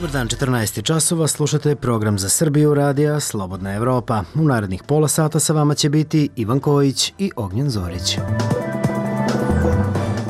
Dobar dan, 14 časova, slušate program za Srbiju radija Slobodna Evropa. U narednih pola sata sa vama će biti Ivan Kojić i Ognjen Zorić.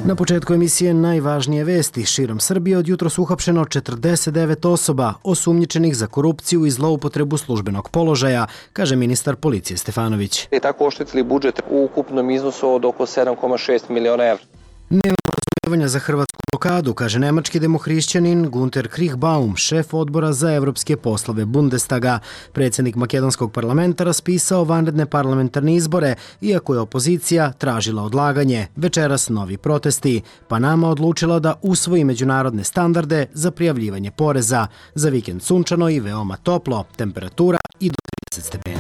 Na početku emisije najvažnije vesti. Širom Srbije od jutros uhapšeno 49 osoba osumnjičenih za korupciju i zloupotrebu službenog položaja, kaže ministar policije Stefanović. I tako oštetili budžet u ukupnom iznosu od oko 7,6 miliona evra. Nema razumijevanja za hrvatsku blokadu, kaže nemački demohrišćanin Gunter Krichbaum, šef odbora za evropske poslove Bundestaga. Predsjednik makedonskog parlamenta raspisao vanredne parlamentarne izbore, iako je opozicija tražila odlaganje. Večeras novi protesti. Panama odlučila da usvoji međunarodne standarde za prijavljivanje poreza. Za vikend sunčano i veoma toplo, temperatura i do 30 stepeni.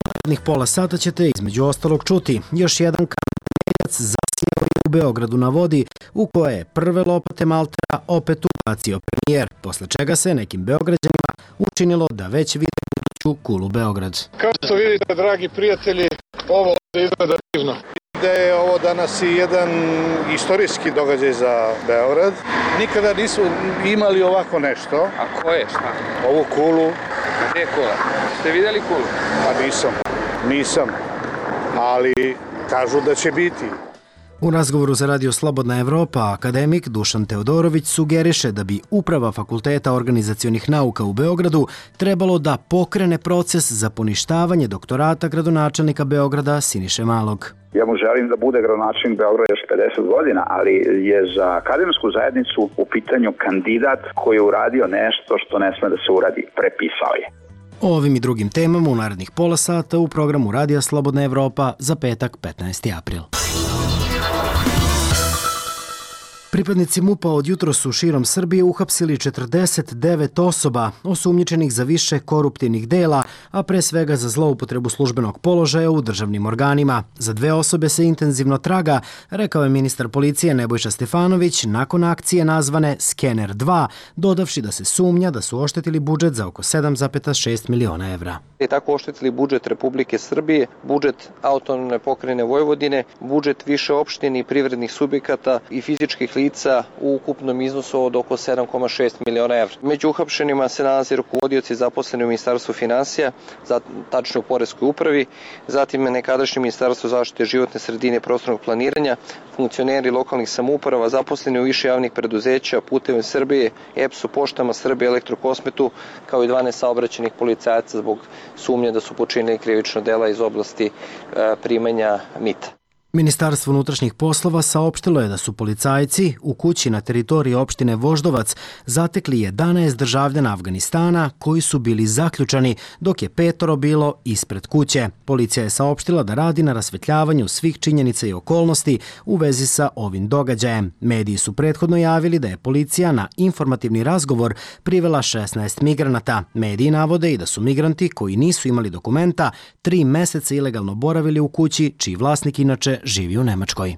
Narednih pola sata ćete između ostalog čuti još jedan zasijao je u Beogradu na vodi, u koje je prve lopate maltera opet ubacio premijer, posle čega se nekim Beograđanima učinilo da već vide buduću kulu Beograd. Kao što vidite, dragi prijatelji, ovo izgleda divno. Da je ovo danas i jedan istorijski događaj za Beograd. Nikada nisu imali ovako nešto. A ko je? Šta? Ovu kulu. Gdje je kula? Ste vidjeli kulu? Pa nisam. Ali kažu da će biti. U razgovoru za Radio Slobodna Evropa akademik Dušan Teodorović sugeriše da bi Uprava Fakulteta organizacionih nauka u Beogradu trebalo da pokrene proces za poništavanje doktorata gradonačelnika Beograda Siniše Malog. Ja mu želim da bude gradonačelnik Beograda još 50 godina, ali je za akademsku zajednicu u pitanju kandidat koji je uradio nešto što ne sme da se uradi, prepisao je. O ovim i drugim temama u narednih pola sata u programu Radija Slobodna Evropa za petak 15. april. Pripadnici MUP-a od jutros su širom Srbije uhapsili 49 osoba osumnjičenih za više koruptivnih dela, a pre svega za zloupotrebu službenog položaja u državnim organima. Za 2 osobe se intenzivno traga, rekao je ministar policije Nebojša Stefanović nakon akcije nazvane Skener 2, dodavši da se sumnja da su oštetili budžet za oko 7,6 miliona evra. I tako oštetili budžet Republike Srbije, budžet autonomne pokrajine Vojvodine, budžet više opštine i privrednih subjekata i fizičkih lica u ukupnom iznosu od oko 7,6 miliona evra. Među uhapšenima se nalaze rukovodioci zaposleni u Ministarstvu finansija, tačno u Poreskoj upravi, zatim nekadašnje Ministarstvo zaštite životne sredine i prostornog planiranja, funkcioneri lokalnih samouprava, zaposleni u više javnih preduzeća, Putevima Srbije, EPS-u, Poštama Srbije, Elektrokosmetu, kao i 12 saobraćajnih policajaca zbog sumnje da su počinili krivično dela iz oblasti primanja mita. Ministarstvo unutrašnjih poslova saopštilo je da su policajci u kući na teritoriji opštine Voždovac zatekli 11 državljana Afganistana koji su bili zaključani, dok je 5 bilo ispred kuće. Policija je saopštila da radi na rasvetljavanju svih činjenica i okolnosti u vezi sa ovim događajem. Mediji su prethodno javili da je policija na informativni razgovor privela 16 migranata. Mediji navode i da su migranti koji nisu imali dokumenta 3 meseca ilegalno boravili u kući, čiji vlasnik inače živi u Nemačkoj.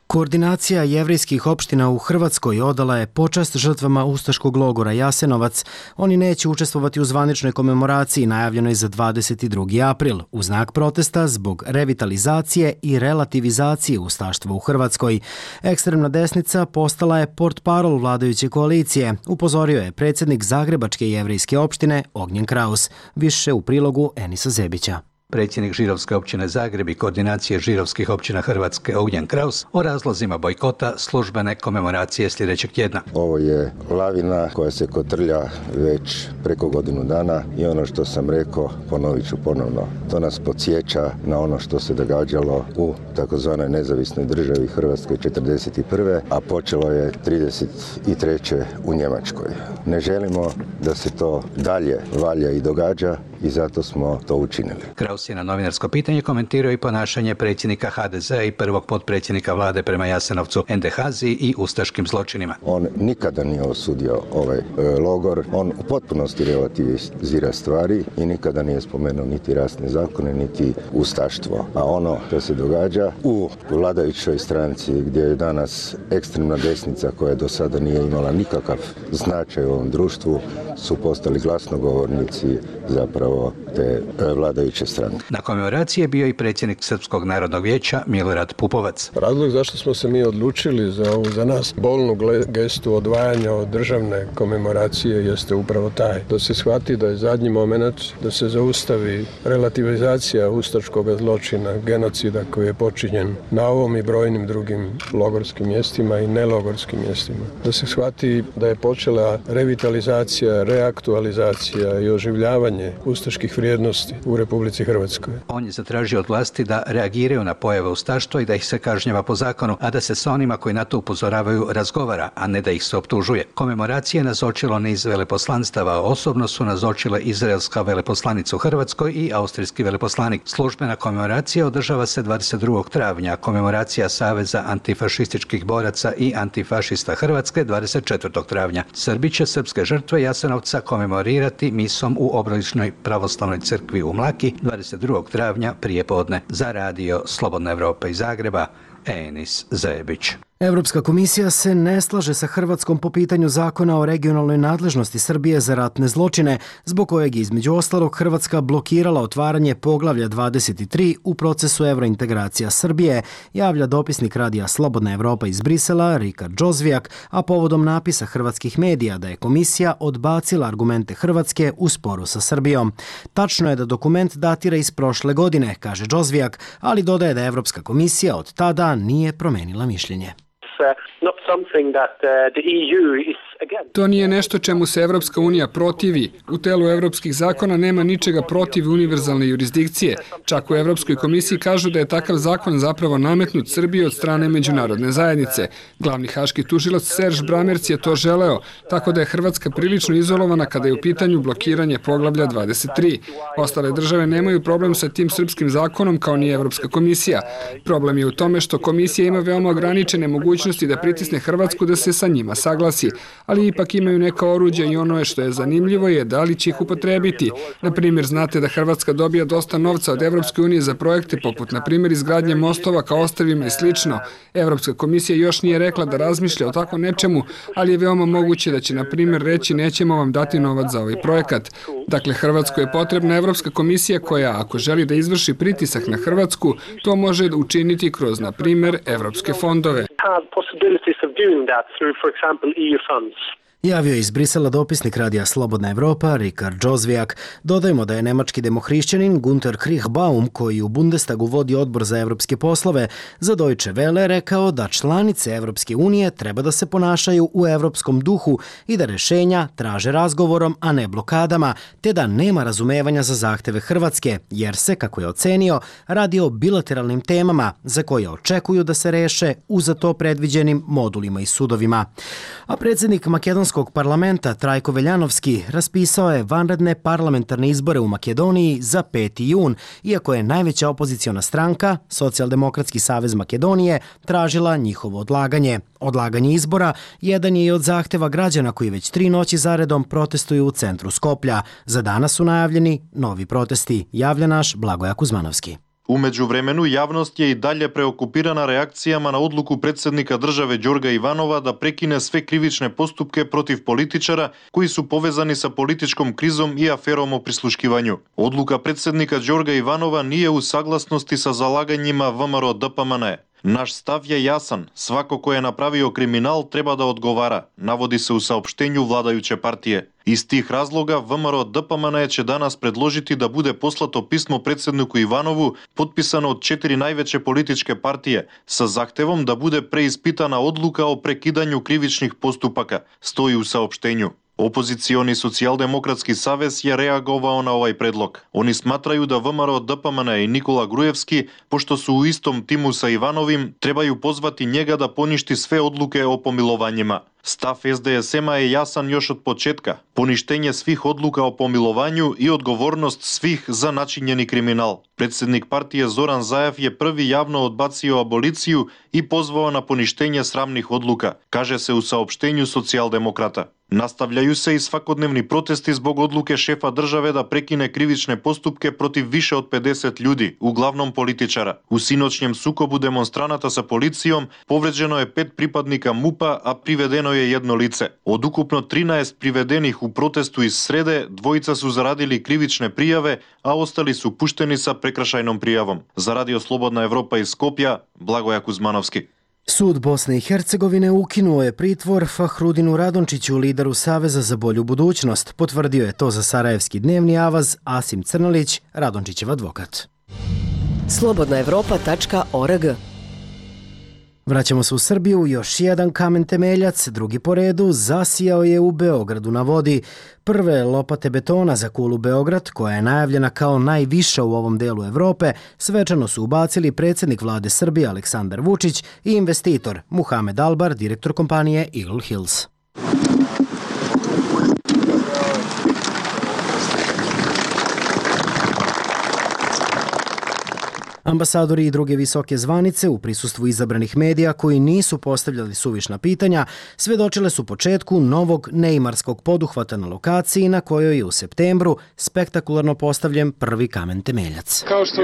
Koordinacija jevrejskih opština u Hrvatskoj odala je počast žrtvama ustaškog logora Jasenovac. Oni neće učestvovati u zvaničnoj komemoraciji najavljenoj za 22. april, u znak protesta zbog revitalizacije i relativizacije ustaštva u Hrvatskoj. Ekstremna desnica postala je portparol vladajuće koalicije, upozorio je predsjednik Zagrebačke jevrejske opštine Ognjen Kraus. Više u prilogu Enisa Zebića. Predsjednik Žirovske općine Zagreb i koordinacije Žirovskih općina Hrvatske Ognjen Kraus o razlozima bojkota službene komemoracije sljedećeg tjedna. Ovo je lavina koja se kotrlja već preko godinu dana i ono što sam rekao ponovit ću ponovno. To nas podsjeća na ono što se događalo u takozvanoj nezavisnoj državi Hrvatskoj 1941. a počelo je 1933. u Njemačkoj. Ne želimo da se to dalje valja i događa i zato smo to učinili. Kraus je na novinarsko pitanje komentirao i ponašanje predsjednika HDZ-a i prvog potpredsjednika vlade prema Jasenovcu Endehazi i ustaškim zločinima. On nikada nije osudio ovaj logor, on u potpunosti relativizira stvari i nikada nije spomenuo niti rasne zakone, niti ustaštvo. A ono što se događa u vladajućoj stranci gdje je danas ekstremna desnica koja do sada nije imala nikakav značaj u ovom društvu, su postali glasnogovornici zapravo te vladajuće stranke. Na komemoraciji je bio i predsjednik Srpskog narodnog vijeća Milorad Pupovac. Razlog zašto smo se mi odlučili za ovu za nas bolnu gestu odvajanja od državne komemoracije jeste upravo taj. Da se shvati da je zadnji moment da se zaustavi relativizacija ustaškog zločina, genocida koji je počinjen na ovom i brojnim drugim logorskim mjestima i nelogorskim mjestima. Da se shvati da je počela revitalizacija, reaktualizacija i oživljavanje ustaških vrijednosti u Republici Hrvatskoj. On je zatražio od vlasti da reagiraju na pojave ustaštva i da ih se kažnjava po zakonu, a da se sa onima koji na to upozoravaju razgovara, a ne da ih se optužuje. Komemoracije je nazočilo niz veleposlanstava, osobno su nazočile izraelska veleposlanica u Hrvatskoj i austrijski veleposlanik. Službena komemoracija održava se 22. travnja, komemoracija Saveza antifašističkih boraca i antifašista Hrvatske 24. travnja. Srbi će srpske žrtve Jasenovca komemorirati misom u Obroličnoj pravoslavnoj crkvi u Mlaki 22. travnja prije podne. Za radio Slobodna Evropa iz Zagreba, Enis Zebić. Evropska komisija se ne slaže sa Hrvatskom po pitanju zakona o regionalnoj nadležnosti Srbije za ratne zločine, zbog kojeg je između ostalog Hrvatska blokirala otvaranje poglavlja 23 u procesu evrointegracija Srbije, javlja dopisnik radija Slobodna Evropa iz Brisela Rikard Džozvijak, a povodom napisa hrvatskih medija da je komisija odbacila argumente Hrvatske u sporu sa Srbijom. Tačno je da dokument datira iz prošle godine, kaže Džozvijak, ali dodaje da Evropska komisija od tada nije promenila mišljenje. To nije nešto čemu se Evropska unija protivi. U telu evropskih zakona nema ničega protiv univerzalne jurisdikcije. Čak u Evropskoj komisiji kažu da je takav zakon zapravo nametnut Srbiji od strane međunarodne zajednice. Glavni haški tužilac Serž Bramerc je to želeo, tako da je Hrvatska prilično izolovana kada je u pitanju blokiranje poglavlja 23. Ostale države nemaju problem sa tim srpskim zakonom kao ni Evropska komisija. Problem je u tome što komisija ima veoma ograničene mogućnosti da pritisne Hrvatsku da se sa njima saglasi, ali ipak imaju neka oruđa i ono što je zanimljivo je da li će ih upotrebiti. Na primjer, znate da Hrvatska dobija dosta novca od Evropske unije za projekte poput, na primjer, izgradnje mostova ka ostrvima i slično. Evropska komisija još nije rekla da razmišlja o tako nečemu, ali je veoma moguće da će, na primjer, reći nećemo vam dati novac za ovaj projekat. Dakle, Hrvatskoj je potrebna Evropska komisija koja, ako želi da izvrši pritisak na Hrvatsku, to može učiniti kroz, na primjer, evropske fondove. Javio je iz Brisela dopisnik radija Slobodna Evropa Rikard Džozvijak. Dodajmo da je nemački demohrišćanin Gunter Kriechbaum, koji u Bundestagu vodi odbor za evropske poslove, za Deutsche Welle rekao da članice Evropske unije treba da se ponašaju u evropskom duhu i da rešenja traže razgovorom, a ne blokadama, te da nema razumevanja za zahteve Hrvatske, jer se, kako je ocenio, radi o bilateralnim temama za koje očekuju da se reše u za to predviđenim modulima i sudovima. A predsjednik Makedonskog parlamenta Trajko Veljanovski raspisao je vanredne parlamentarne izbore u Makedoniji za 5. jun, iako je najveća opoziciona stranka, Socijaldemokratski savez Makedonije, tražila njihovo odlaganje. Odlaganje izbora jedan je i od zahteva građana koji već 3 noći zaredom protestuju u centru Skoplja. Za danas su najavljeni novi protesti, javlja naš Blagoja Kuzmanovski. U međuvremenu, javnost je i dalje preokupirana reakcijama na odluku predsjednika države Đorga Ivanova da prekine sve krivične postupke protiv političara koji su povezani sa političkom krizom i aferom o prisluškivanju. Odluka predsjednika Đorga Ivanova nije u saglasnosti sa zalaganjima VMRO DPMNE. Naš stav je jasan, svako ko je napravio kriminal treba da odgovara, navodi se u saopštenju vladajuće partije. Iz tih razloga VMRO DPMNE će danas predložiti da bude poslato pismo predsjedniku Ivanovu, potpisano od 4 najveće političke partije, sa zahtevom da bude preispitana odluka o prekidanju krivičnih postupaka, stoji u saopštenju. Opozicioni Socijaldemokratski savez je reagovao na ovaj predlog. Oni smatraju da VMRO DPMNE i Nikola Grujevski, pošto su u istom timu sa Ivanovim, trebaju pozvati njega da poništi sve odluke o pomilovanjima. Stav SDSM-a je jasan još od početka. Poništenje svih odluka o pomilovanju i odgovornost svih za načinjeni kriminal. Predsjednik partije Zoran Zaev je prvi javno odbacio aboliciju i pozvao na poništenje sramnih odluka, kaže se u saopštenju socijaldemokrata. Настављају се и свакодневни протести због одлуке шефа државе да прекине кривичне поступке против више од 50 људи, углавном политичара. У синочњем сукобу демонстраната со полицијом повреđено е 5 припадника МУП-а, а приведено е 1 лице. Од укупно 13 приведених у протесту из среде, 2 су зарадили кривичне пријаве, а остали су пуштени са прекршајном пријавом. За Радио Слободна Европа из Скопје, Благоја Кузмановски. Sud Bosne i Hercegovine ukinuo je pritvor Fahrudinu Radončiću, lideru Saveza za bolju budućnost. Potvrdio je to za Sarajevski dnevni avaz Asim Crnolić, Radončićev advokat. Slobodnaevropa.org. Vraćamo se u Srbiju, još jedan kamen temeljac, drugi po redu, zasijao je u Beogradu na vodi. Prve lopate betona za kulu Beograd, koja je najavljena kao najviša u ovom delu Evrope, svečano su ubacili predsjednik vlade Srbije Aleksandar Vučić i investitor Muhamed Albar, direktor kompanije Eagle Hills. Ambasadori i druge visoke zvanice u prisustvu izabranih medija koji nisu postavljali suvišna pitanja svedočile su početku novog neimarskog poduhvata na lokaciji na kojoj je u septembru spektakularno postavljen prvi kamen temeljac. Kao što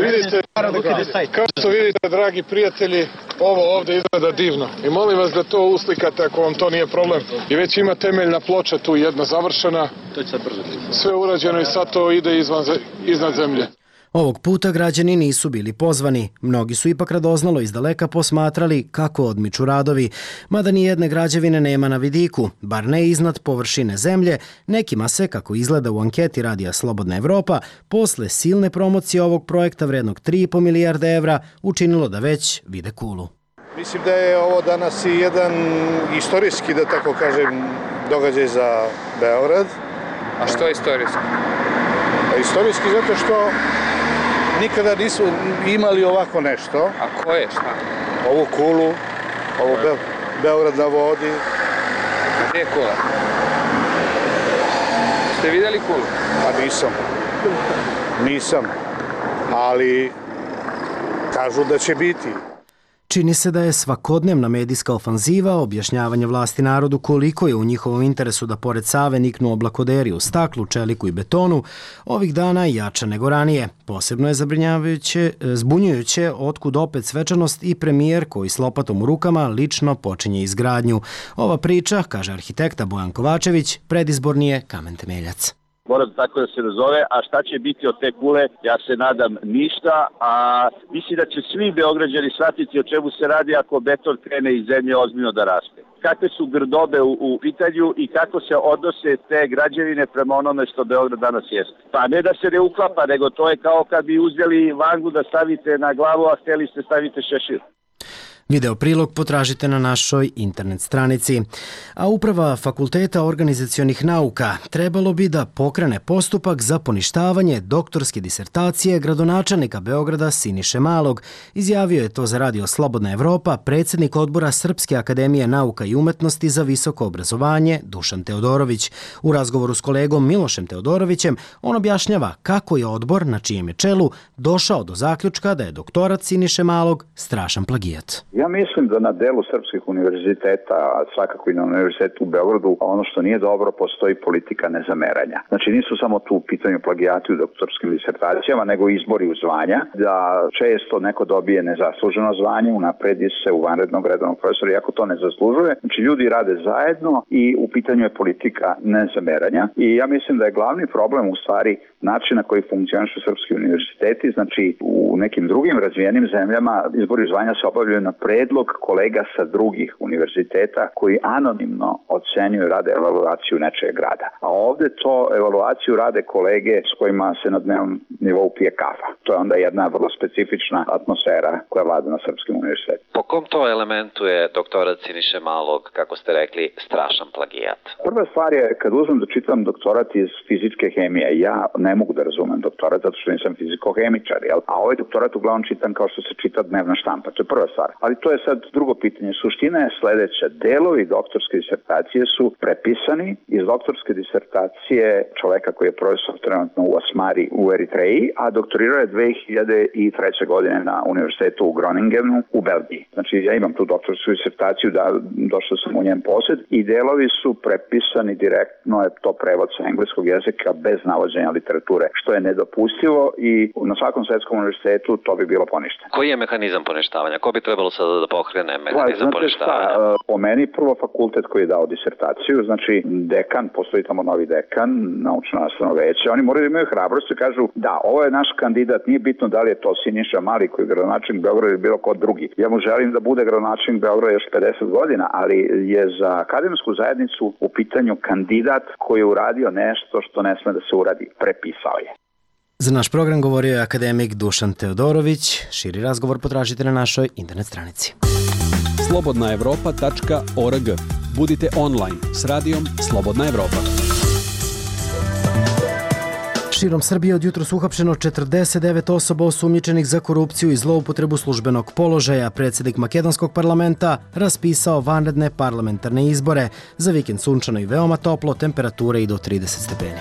vidite, dragi prijatelji, ovo ovde izgleda divno. I molim vas da to uslikate ako vam to nije problem. I već ima temeljna ploča tu jedna završena. Sve urađeno i sad to ide iznad zemlje. Ovog puta građani nisu bili pozvani. Mnogi su ipak radoznalo izdaleka posmatrali kako odmiču radovi. Mada ni jedne građevine nema na vidiku, bar ne iznad površine zemlje, nekima se, kako izgleda u anketi Radija Slobodna Evropa, posle silne promocije ovog projekta vrednog 3,5 milijarde evra učinilo da već vide kulu. Mislim da je ovo danas i jedan istorijski, da tako kažem, događaj za Beograd. A što je istorijski? Istorijski zato što nikada nisu imali ovako nešto. A koje, šta? Ovu kulu, ovo Beograd na vodi. Gdje je kula? Ste vidjeli kulu? Pa nisam, ali kažu da će biti. Čini se da je svakodnevna medijska ofanziva objašnjavanje vlasti narodu koliko je u njihovom interesu da pored Save niknu oblakoderi u staklu, čeliku i betonu, ovih dana jača nego ranije. Posebno je zbunjujuće otkud opet svečanost i premijer koji s lopatom u rukama lično počinje izgradnju. Ova priča, kaže arhitekta Bojan Kovačević, predizborni je kamen temeljac. Mora tako da se nazove, a šta će biti od te kule, ja se nadam ništa, a mislim da će svi Beograđani shvatiti o čemu se radi ako beton krene iz zemlje ozbiljno da raste. Kakve su grdobe u pitanju i kako se odnose te građevine prema onome što Beograd danas jeste. Pa ne da se ne uklapa, nego to je kao kad bi uzeli vangu da stavite na glavu, a htjeli ste stavite šešir. Video prilog potražite na našoj internet stranici. A uprava Fakulteta organizacionih nauka trebalo bi da pokrene postupak za poništavanje doktorske disertacije gradonačelnika Beograda Siniše Malog. Izjavio je to za Radio Slobodna Evropa predsjednik odbora Srpske akademije nauka i umetnosti za visoko obrazovanje Dušan Teodorović. U razgovoru s kolegom Milošem Teodorovićem on objašnjava kako je odbor, na čijem je čelu, došao do zaključka da je doktorat Siniše Malog strašan plagijat. Ja mislim da na delu srpskih univerziteta, a svakako i na univerzitetu u Beogradu, ono što nije dobro, postoji politika nezameranja. Znači nisu samo tu u pitanju plagijati u doktorskim disertacijama, nego izbori u zvanja, da često neko dobije nezasluženo zvanje, unapredi se u vanrednog redovnog profesora, iako to ne zaslužuje. Znači ljudi rade zajedno i u pitanju je politika nezameranja. I ja mislim da je glavni problem u stvari način na koji funkcionišu srpski univerziteti. Znači u nekim drugim razvijenim zemljama izbori zvanja se obavljaju na predlog kolega sa drugih univerziteta koji anonimno ocenjuju, rade evaluaciju nečeg rada. A ovde to evaluaciju rade kolege s kojima se na dnevnom nivou pije kafa. To je onda jedna vrlo specifična atmosfera koja vlada na srpskim univerzitetima. Po kom to elementu je doktorat Siniše Malog, kako ste rekli, strašan plagijat? Prva stvar je, kad uzmem da čitam doktorat iz fizičke hemije, ja ne mogu da razumem doktorat zato što nisam fizikohemičar, jel? A ovaj doktorat uglavnom čitam kao što se čita dnevna štampa. To je prva stvar. Ali to je sad drugo pitanje. Suština je sledeća. Delovi doktorske disertacije su prepisani iz doktorske disertacije čoveka koji je profesor trenutno u Asmari u Eritreji, a doktorirao je 2003. godine na univerzitetu u Groningenu u Belgiji. Znači ja imam tu doktorsku disertaciju, došao sam u njen posjed i delovi su prepisani direktno, je to prevod sa engleskog jezika bez navođenja literature, što je nedopustivo i na svakom svetskom univerzitetu to bi bilo poništeno. Koji je mehanizam poništavanja? Ko bi trebalo sada da pokrene mehanizam poništavanja? Po meni prvo fakultet koji je dao disertaciju, znači dekan, postoji tamo novi dekan, naučno-nastavno veće, oni moraju da imaju hrabrost i kažu da, ovo je naš kandidat, nije bitno da li je to Siniša Mali koji je gradonačelnik Beograda ili bilo ko drugi. Ja mu želim da bude gradonačelnik Beograda još 50 godina, ali je za akademsku zajednicu u pitanju kandidat koji je uradio nešto što ne sme da se uradi. Prepisao je. Za naš program govorio je akademik Dušan Teodorović. Širi razgovor potražite na našoj internet stranici. slobodnaevropa.org. Budite online s radijom Slobodna Evropa. Širom Srbije od jutros uhapšeno 49 osoba osumnjičenih za korupciju i zloupotrebu službenog položaja. Predsjednik makedonskog parlamenta raspisao vanredne parlamentarne izbore. Za vikend sunčano i veoma toplo, temperature i do 30 stepeni.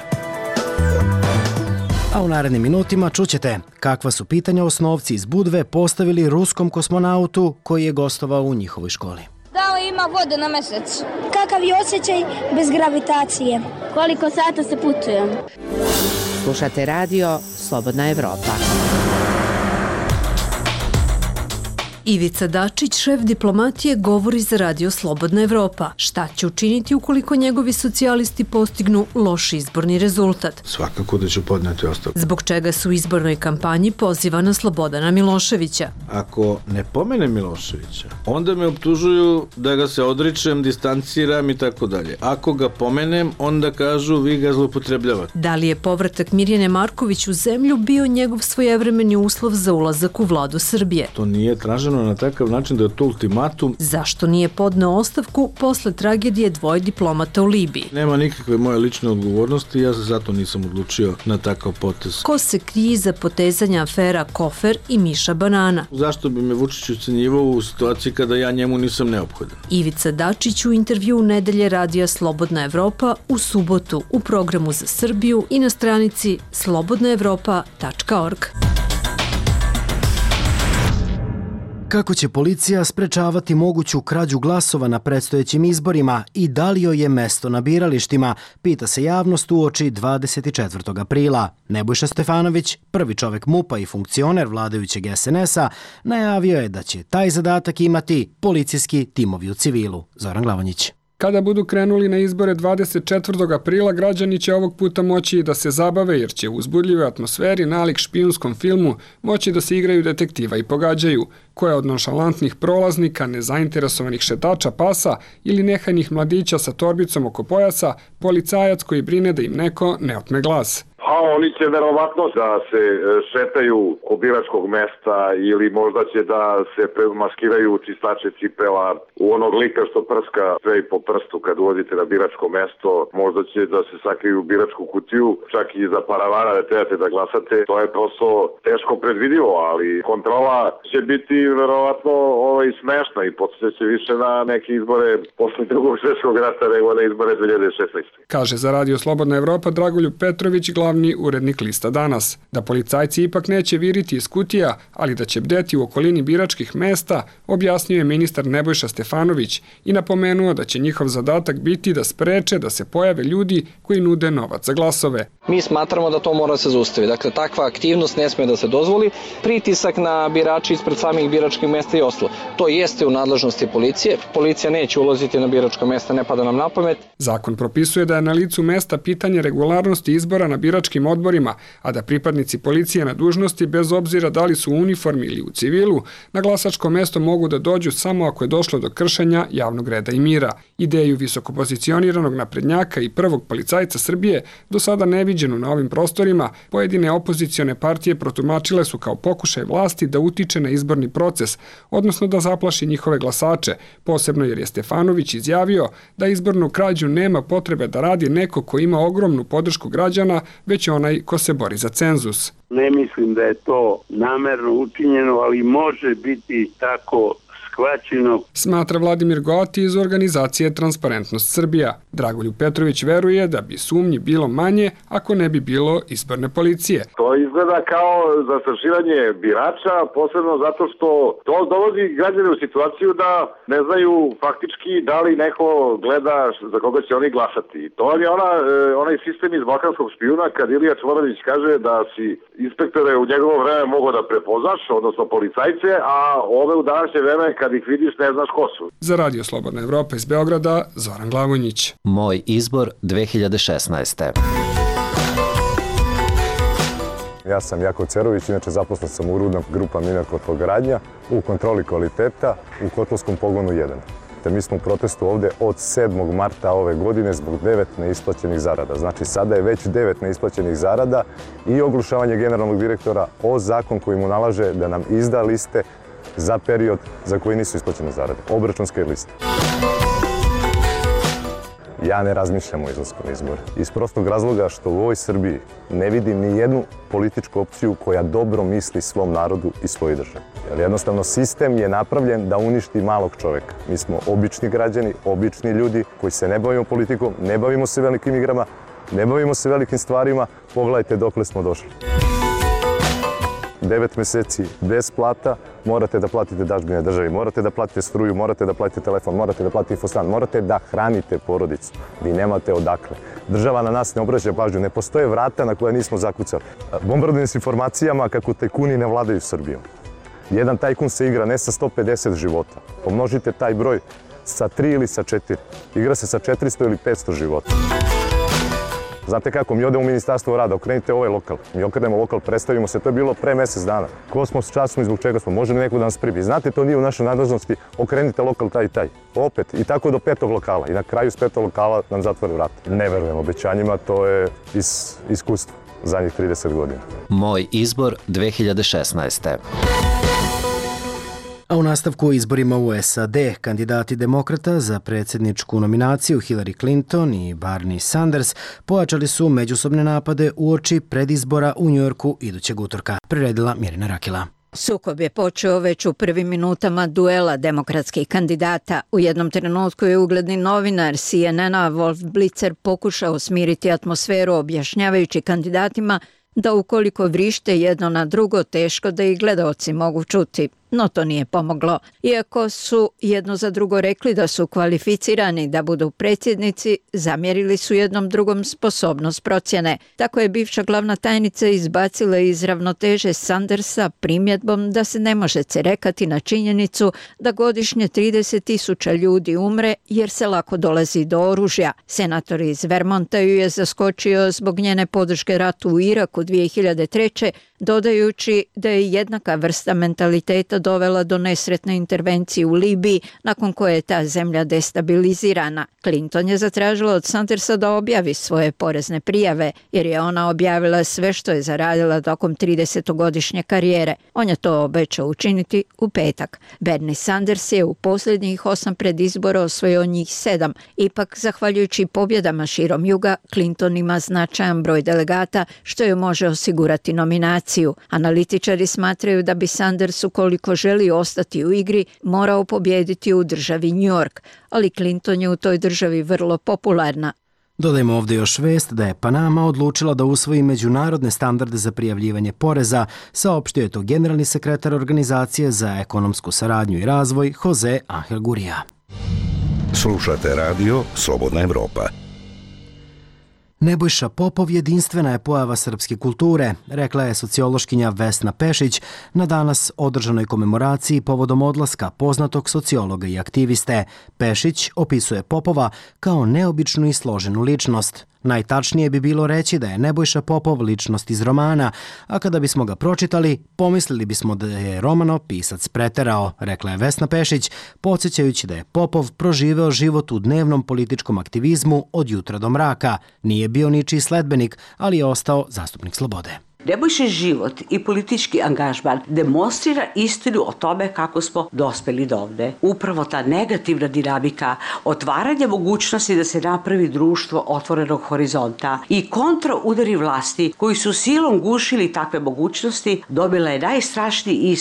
A u narednim minutima čućete kakva su pitanja osnovci iz Budve postavili ruskom kosmonautu koji je gostovao u njihovoj školi. Da li ima vode na mesec? Kakav je osjećaj bez gravitacije? Koliko sata se putuje? Slušate radio Slobodna Evropa. Ivica Dačić, šef diplomatije, govori za radio Slobodna Evropa. Šta će učiniti ukoliko njegovi socijalisti postignu loš izborni rezultat? Svakako da ću podneti ostavku. Zbog čega su u izbornoj kampanji pozivana Slobodana Miloševića? Ako ne pomenem Miloševića, onda me optužuju da ga se odričem, distanciram i tako dalje. Ako ga pomenem, onda kažu vi ga zloupotrebljavate. Da li je povratak Mirjane Marković u zemlju bio njegov svojevremeni uslov za ulazak u vladu Srbije? To nije traženo na takav način da je to ultimatum. Zašto nije podneo ostavku posle tragedije dvoje diplomata u Libiji? Nema nikakve moje lične odgovornosti, ja se zato nisam odlučio na takav potez. Ko se krije za potezanja afera Kofer i Miša Banana? Zašto bi me Vučić ucenjivao u situaciji kada ja njemu nisam neophodan? Ivica Dačić u intervju u nedelje radija Slobodna Evropa u subotu u programu za Srbiju i na stranici slobodnaevropa.org. Kako će policija sprečavati moguću krađu glasova na predstojećim izborima i da li joj je mesto na biralištima, pita se javnost uoči 24. aprila. Nebojša Stefanović, prvi čovek MUP-a i funkcioner vladajućeg SNS-a, najavio je da će taj zadatak imati policijski timovi u civilu. Zoran Glavonjić. Kada budu krenuli na izbore 24. aprila, građani će ovog puta moći i da se zabave jer će u uzbudljivoj atmosferi nalik špijunskom filmu moći da se igraju detektiva i pogađaju koje od nonšalantnih prolaznika, nezainteresovanih šetača pasa ili nehajnih mladića sa torbicom oko pojasa, policajac koji brine da im neko ne otme glas. A oni će verovatno da se šetaju ko biračkog mesta ili možda će da se maskiraju čistače cipela u onog lika što prska sve i po prstu kad ulazite na biračko mesto. Možda će da se sakriju u biračku kutiju, čak i za paravana da trebate da glasate. To je prosto teško predvidivo, ali kontrola će biti verovatno smešna i podsjeća više na neke izbore posle drugog svjetskog rata nego na izbore 2016. Kaže za radio Slobodna Evropa Dragoljub Petrović, glavni urednik lista Danas, da policajci ipak neće viriti iz kutija, ali da će bdeti u okolini biračkih mesta, objasnio je ministar Nebojša Stefanović i napomenuo da će njihov zadatak biti da spreče da se pojave ljudi koji nude novac za glasove. Mi smatramo da to mora se zaustaviti. Dakle, takva aktivnost ne sme da se dozvoli. Pritisak na birače ispred samih biračkih mesta i ostalo. To jeste u nadležnosti policije. Policija neće ulaziti na biračka mesta, ne pada nam na pamet. Zakon propisuje da je na licu mesta pitanje regularnosti izbora na biračkim odborima, a da pripadnici policije na dužnosti, bez obzira da li su u uniformi ili u civilu, na glasačko mesto mogu da dođu samo ako je došlo do kršenja javnog reda i mira. Ideju visokopozicioniranog naprednjaka i prvog policajca Srbije, do sada neviđenu na ovim prostorima, pojedine opozicione partije protumačile su kao pokušaj vlasti da utiče na izborni proces, odnosno da zaplaši njihove glasače, posebno jer je Stefanović izjavio da izbornu krađu nema potrebe da radi neko ko ima ogromnu podršku građana, već onaj ko se bori za cenzus. Ne mislim da je to namerno učinjeno, ali može biti tako shvaćeno. Smatra Vladimir Goti iz organizacije Transparentnost Srbija. Dragoljub Petrović veruje da bi sumnji bilo manje ako ne bi bilo izborne policije. To izgleda kao zastrašivanje birača, posebno zato što to dovodi građane u situaciju da ne znaju faktički da li neko gleda za koga će oni glasati. To je onaj sistem iz balkanskog špijuna kad Ilija Čvorović kaže da si inspektore u njegovo vreme mogo da prepoznaš, odnosno policajce, a ove u današnje vreme kad ih vidiš ne znaš ko su. Za Radio Slobodna Evropa iz Beograda, Zoran Glavonjić. Moj izbor 2016. Ja sam Jako Cerović, inače zaposlen sam u Rudna grupa Mina Kotlogradnja u kontroli kvaliteta u Kotlovskom pogonu 1. Te mi smo u protestu ovde od 7. marta ove godine zbog 9 neisplaćenih zarada. Znači sada je već 9 neisplaćenih zarada i oglušavanje generalnog direktora o zakon koji mu nalaže da nam izda liste za period za koji nisu isplaćene zarade. Obračunske liste. Ja ne razmišljam o izlasku na izbore. Iz prostog razloga što u ovoj Srbiji ne vidim ni jednu političku opciju koja dobro misli svom narodu i svojoj državi. Jer jednostavno sistem je napravljen da uništi malog čoveka. Mi smo obični građani, obični ljudi koji se ne bavimo politikom, ne bavimo se velikim igrama, ne bavimo se velikim stvarima. Pogledajte dokle smo došli. 9 meseci bez plata, morate da platite dažbine državi, morate da platite struju, morate da platite telefon, morate da platite infostan, morate da hranite porodicu. Vi nemate odakle. Država na nas ne obraća pažnju, ne postoje vrata na koja nismo zakucali. Bombardujem s informacijama kako tajkuni ne vladaju Srbijom. Jedan tajkun se igra ne sa 150 života. Pomnožite taj broj sa 3 ili sa 4. Igra se sa 400 ili 500 života. Znate kako, mi odemo u Ministarstvo rada, okrenite ovaj lokal. Mi okrenemo lokal, predstavimo se, to je bilo pre mesec dana. Ko smo, šta smo i zbog čega smo, može li neko da nas pribi. Znate, to nije u našoj nadležnosti, okrenite lokal taj i taj. Opet, i tako do 5. lokala. I na kraju s 5. lokala nam zatvore vrata. Ne verujem obećanjima, to je iz iskustva zadnjih 30 godina. Moj izbor 2016. A u nastavku o izborima u SAD, kandidati demokrata za predsjedničku nominaciju Hillary Clinton i Bernie Sanders pojačali su međusobne napade uoči predizbora u Njujorku idućeg utorka. Priredila Mirjana Rakila. Sukob je počeo već u prvim minutama duela demokratskih kandidata. U jednom trenutku je ugledni novinar CNN-a Wolf Blitzer pokušao smiriti atmosferu objašnjavajući kandidatima da ukoliko vrište jedno na drugo, teško da ih gledaoci mogu čuti. No to nije pomoglo. Iako su jedno za drugo rekli da su kvalificirani da budu predsjednici, zamjerili su jednom drugom sposobnost procjene. Tako je bivša glavna tajnica izbacila iz ravnoteže Sandersa primjedbom da se ne može cerekati na činjenicu da godišnje 30.000 ljudi umre jer se lako dolazi do oružja. Senator iz Vermonta ju je zaskočio zbog njene podrške ratu u Iraku 2003. dodajući da je jednaka vrsta mentaliteta dovela do nesretne intervencije u Libiji, nakon koje je ta zemlja destabilizirana. Clinton je zatražila od Sandersa da objavi svoje porezne prijave, jer je ona objavila sve što je zaradila tokom 30-godišnje karijere. On je to obećao učiniti u petak. Bernie Sanders je u posljednjih 8 predizbora osvojio njih 7. Ipak, zahvaljujući pobjedama širom juga, Clinton ima značajan broj delegata, što joj može osigurati nominaciju. Analitičari smatraju da bi Sanders, ukoliko želi ostati u igri, morao pobijediti u državi New York, ali Clinton je u toj državi vrlo popularna. Dodajmo ovdje još vest da je Panama odlučila da usvoji međunarodne standarde za prijavljivanje poreza, saopštio je to generalni sekretar Organizacije za ekonomsku saradnju i razvoj Jose Angel Gurija. Slušate radio Slobodna Evropa. Nebojša Popov jedinstvena je pojava srpske kulture, rekla je sociološkinja Vesna Pešić na danas održanoj komemoraciji povodom odlaska poznatog sociologa i aktiviste. Pešić opisuje Popova kao neobičnu i složenu ličnost. Najtačnije bi bilo reći da je Nebojša Popov ličnost iz romana, a kada bismo ga pročitali, pomislili bismo da je romano pisac preterao, rekla je Vesna Pešić, podsjećajući da je Popov proživeo život u dnevnom političkom aktivizmu od jutra do mraka. Nije bio ničiji sledbenik, ali je ostao zastupnik slobode. Nebojšin život i politički angažman demonstrira istinu o tome kako smo dospeli do ovde. Upravo ta negativna dinamika, otvaranje mogućnosti da se napravi društvo otvorenog horizonta i kontraudari vlasti koji su silom gušili takve mogućnosti, dobila je najstrašniji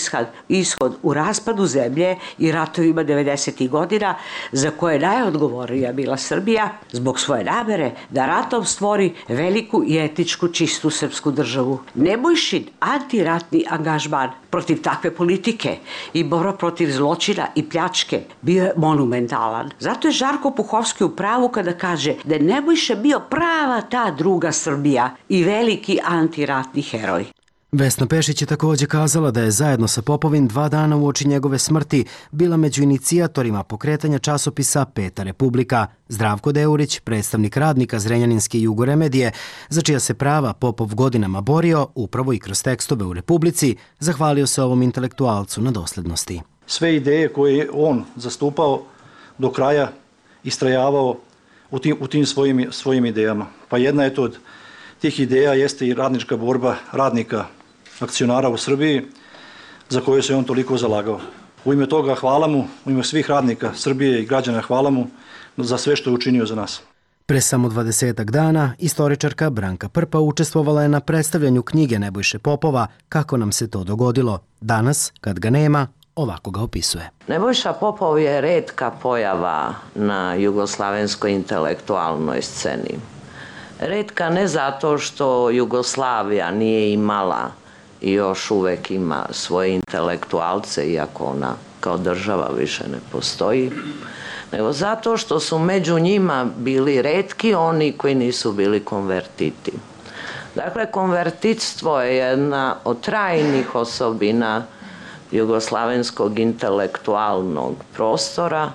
ishod u raspadu zemlje i ratovima 90. godina, za koje je najodgovornija bila Srbija zbog svoje namere da ratom stvori veliku i etičku čistu srpsku državu. Nebojšin antiratni angažman protiv takve politike i borba protiv zločina i pljačke bio je monumentalan. Zato je Žarko Puhovski u pravu kada kaže da je Nebojša bio prava ta druga Srbija i veliki antiratni heroj. Vesna Pešić je također kazala da je zajedno sa Popovim 2 dana uoči njegove smrti bila među inicijatorima pokretanja časopisa Peta Republika. Zdravko Deurić, predstavnik radnika Zrenjaninske Jugoremedije, za čija se prava Popov godinama borio, upravo i kroz tekstove u Republici, zahvalio se ovom intelektualcu na doslednosti. Sve ideje koje je on zastupao do kraja istrajavao u tim svojim idejama. Pa jedna je to od tih ideja jeste i radnička borba radnika akcionara u Srbiji, za koju se on toliko zalagao. U ime toga hvala mu, u ime svih radnika Srbije i građana hvala mu za sve što je učinio za nas. Pre samo 20 dana, istoričarka Branka Prpa učestvovala je na predstavljanju knjige Nebojše Popova Kako nam se to dogodilo. Danas, kad ga nema, ovako ga opisuje. Nebojša Popov je retka pojava na jugoslavenskoj intelektualnoj sceni. Retka ne zato što Jugoslavija nije imala i još uvek ima svoje intelektualce, iako ona kao država više ne postoji, nego zato što su među njima bili retki oni koji nisu bili konvertiti. Dakle, konvertitstvo je jedna od trajnih osobina jugoslavenskog intelektualnog prostora,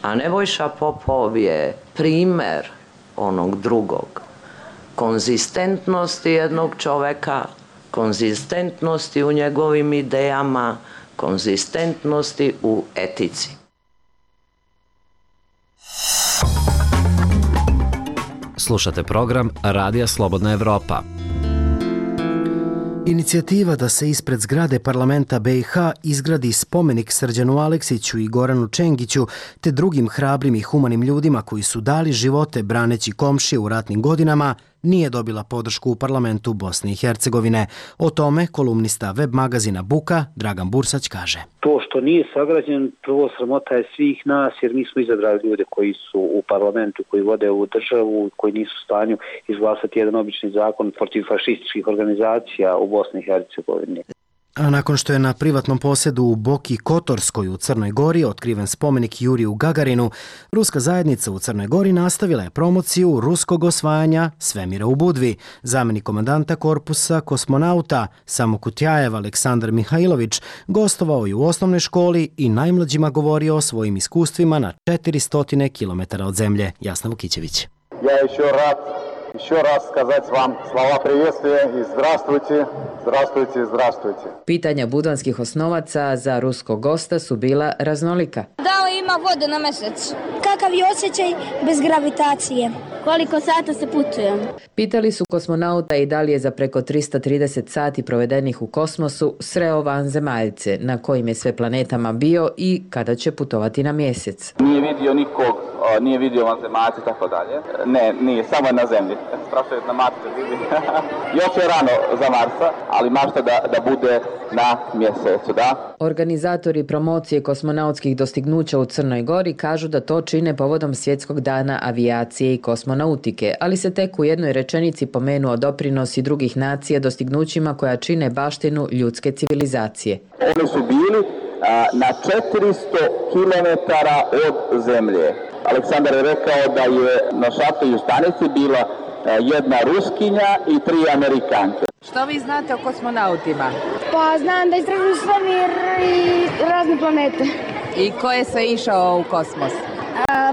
a Nebojša Popov je primer onog drugog. Konzistentnosti jednog čoveka, konzistentnosti u njegovim idejama, konzistentnosti u etici. Slušate program Radija Slobodna Evropa. Inicijativa da se ispred zgrade parlamenta BiH izgradi spomenik Srđanu Aleksiću i Goranu Čengiću te drugim hrabrim i humanim ljudima koji su dali živote braneći komšije u ratnim godinama nije dobila podršku u parlamentu Bosne i Hercegovine. O tome kolumnista web magazina Buka Dragan Bursać kaže. To što nije sagrađen, prvo sramota je svih nas jer mi smo izabrali ljude koji su u parlamentu, koji vode ovu državu, koji nisu u stanju izglasati jedan obični zakon protiv fašističkih organizacija u Bosni i Hercegovini. A nakon što je na privatnom posjedu u Boki Kotorskoj u Crnoj Gori otkriven spomenik Juriju Gagarinu, ruska zajednica u Crnoj Gori nastavila je promociju ruskog osvajanja svemira u Budvi. Zamjenik komandanta korpusa kosmonauta Samokutjajev Aleksandar Mihajlović gostovao je u osnovnoj školi i najmlađima govorio o svojim iskustvima na 400 km od zemlje. Jasna Vukićević. Еще раз сказать вам слова приветствия и здравствуйте, здравствуйте, здравствуйте. Pitanja budvanskih osnovaca za ruskog gosta su bila raznolika. Da li ima vode na mesec? Kakav je osjećaj bez gravitacije? Koliko sata se putuje? Pitali su kosmonauta i da li je za preko 330 sati provedenih u kosmosu sreo vanzemaljce, na kojim je sve planetama bio i kada će putovati na mjesec. Nije vidio nikog, nije vidio vanzemaljce i tako dalje. Ne, nije, samo je na zemlji. Strašno je na Marsu vidi. Još je rano za Marsa, ali mašta da bude na mjesecu, da? Organizatori promocije kosmonautskih dostignuća u Crnoj Gori kažu da to čine povodom Svjetskog dana avijacije i kosmonautike, ali se tek u jednoj rečenici pomenuo doprinos i drugih nacija dostignućima koja čine baštinu ljudske civilizacije. Oni su bili na 400 km od zemlje. Aleksandar je rekao da je na šatornoj stanici bila jedna Ruskinja i 3 Amerikanke. Što vi znate o kosmonautima? Pa znam da istražuju svemir i razne planete. I ko je sve išao u kosmos?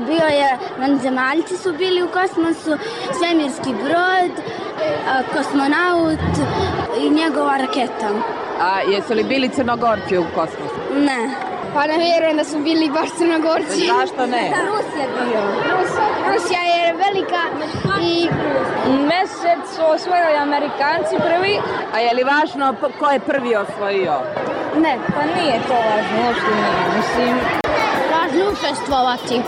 Bio je, vanzemaljci su bili u kosmosu, svemirski brod, kosmonaut i njegova raketa. A jesu li bili Crnogorci u kosmosu? Ne. Pa ne vjerujem da su bili baš Crnogorci. Zašto ne? Rusija bio. Rusija je velika i Mesec su osvojili Amerikanci prvi. A je li važno ko je prvi osvojio? ne. Pa nije to važno, uopšte nije. Mislim, Važno učestvovati.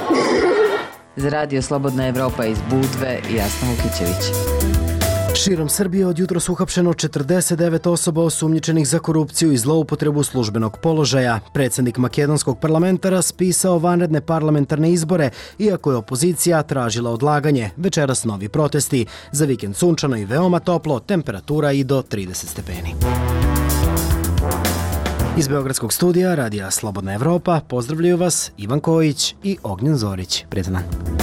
Za Radio Slobodna Evropa iz Budve, Jasna Vukićević. Širom Srbije od jutros uhapšeno 49 osoba osumnjičenih za korupciju i zloupotrebu službenog položaja. Predsjednik makedonskog parlamenta raspisao vanredne parlamentarne izbore, iako je opozicija tražila odlaganje. Večeras novi protesti. Za vikend sunčano i veoma toplo, temperatura i do 30 stepeni. Iz Beogradskog studija Radija Slobodna Evropa pozdravljaju vas Ivan Kojić i Ognjen Zorić. Prijetan dan.